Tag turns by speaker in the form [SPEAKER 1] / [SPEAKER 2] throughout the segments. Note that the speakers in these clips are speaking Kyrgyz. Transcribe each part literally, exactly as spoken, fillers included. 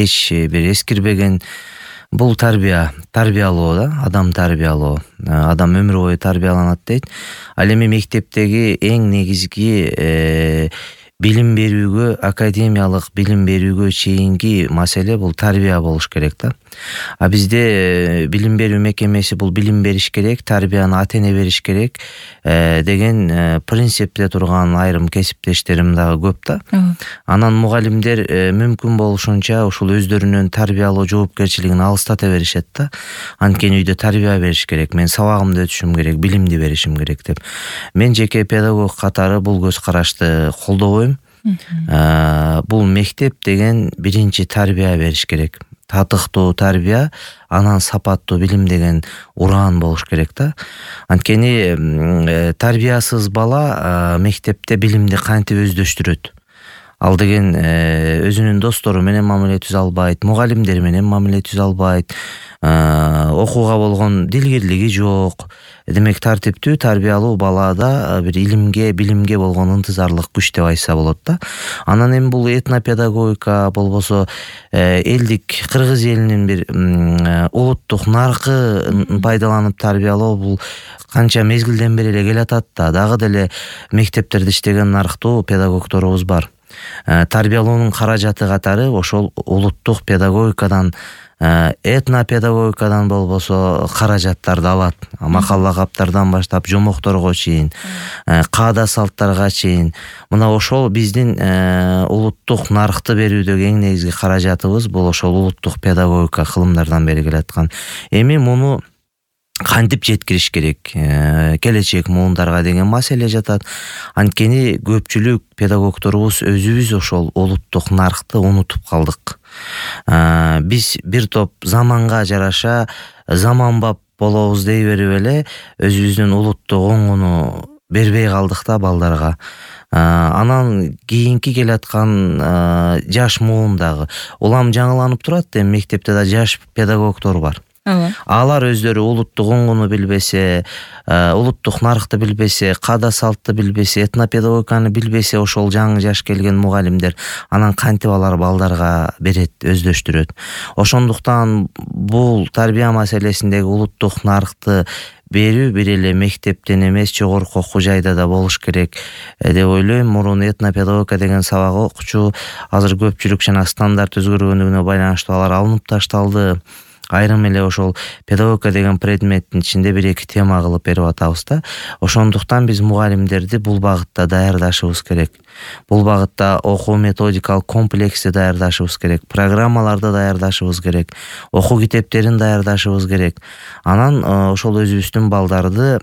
[SPEAKER 1] эч бир эскирбеген. Бул тарбия, тарбиялоо да, адам тарбиялоо. Адам өмүр бою тарбияланат дейт. Ал эми мектептеги эң негизги билим берүүгө, академиялык билим берүүгө чейинки маселе бул тарбия болуш керек да. А бизде билим берүү мекемеси бул билим бериш керек, тарбияны ата-эне бериш керек деген принципте турган айрым кесиптештерим дагы көп да. Анан мугалимдер мүмкүн болушунча ушул өздөрүнүн тарбиялоо жоопкерчилигин алыстата беришет да. Анткени үйдө тарбия бериш керек, мен сабагымды өтүшүм керек, билимди беришим керек деп. Мен жеке педагог катары бул көз карашты колдобойм. Бул мектеп деген биринчи тарбия бериш керек. Татыктуу тарбия, анан сапаттуу билим деген ураан болуш керек да. Анткени тарбиясыз бала мектепте билимди кантип өздөштүрөт? Ал деген өзүнүн достору менен мамиле түзө албайт, мугалимдер менен мамиле түзө албайт, окууга болгон дилгирлиги жок. Демек тартиптүү тарбиялуу балада бир илимге, билимге болгон ынтызарлык күч деп айтса болот да. Анан эми бул этнопедагогика болбосо элдик кыргыз элинин бир улуттук наркы пайдаланып тарбиялоо бул канча мезгилден бери эле келатат да. Дагы деле мектептерде иштеген нарктуу педагогдорубуз бар. Тарбиялоонун каражаты катары ошол улуттук педагогикадан, этнопедагогикадан болбосо каражаттарды алат. Макал лакаптардан баштап жомокторго чейин, каада салттарга чейин. Мына ошол биздин улуттук наркты берүүдөгү эң негизги каражатыбыз бул ошол улуттук педагогика кылымдардан бери келаткан. Эми муну кантип жеткириш керек? Келечек муундарга деген маселе жатат. Анткени көпчүлүк педагогдорубуз өзүбүз ошол улуттук наркты унутуп калдык. Биз бир топ заманга жараша заманбап болобуз дей берип эле өзүбүздүн улуттук оңуну бербей калдык да балдарга. Анан кийинки келаткан жаш муун дагы улам жаңыланып турат. Эми мектепте да жаш педагогдор бар. Алар өздөрү улуттук оңуну билбесе, улуттук наркты билбесе, каада салтты билбесе, этнопедагогиканы билбесе, ошол жаңы жаш келген мугалимдер анан кантип алар балдарга берет, өздөштүрөт. Ошондуктан бул тарбия маселесиндеги улуттук наркты берүү бир эле мектептен эмес, жогорку окуу жайда да болуш керек деп ойлойм. Мурун этнопедагогика деген сабак окучу, азыр көпчүлүк жана стандарт өзгөргөндүгүнө байланыштуу алар алынып ташталды. Айрым эле ошол педагогика деген предметтин ичинде бир эки тема кылып берип атабыз да. Ошондуктан биз мугалимдерди бул багытта даярдашыбыз керек. Бул багытта окуу методикалык комплексти даярдашыбыз керек, программаларды даярдашыбыз керек, окуу китептерин даярдашыбыз керек. Анан ошол өзүбүздүн балдарды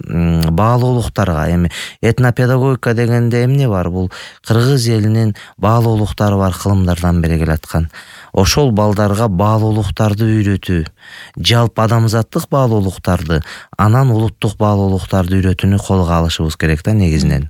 [SPEAKER 1] баалуулуктарга, эми этнопедагогика дегенде эмне бар? Бул кыргыз элинин баалуулуктары бар кылымдардан бери келаткан. Ошол балдарга баалуулуктарды үйрөтүү, жалпы адамзаттык баалуулуктарды, анан улуттук баалуулуктарды үйрөтүүнү колго алышыбыз керек да негизинен.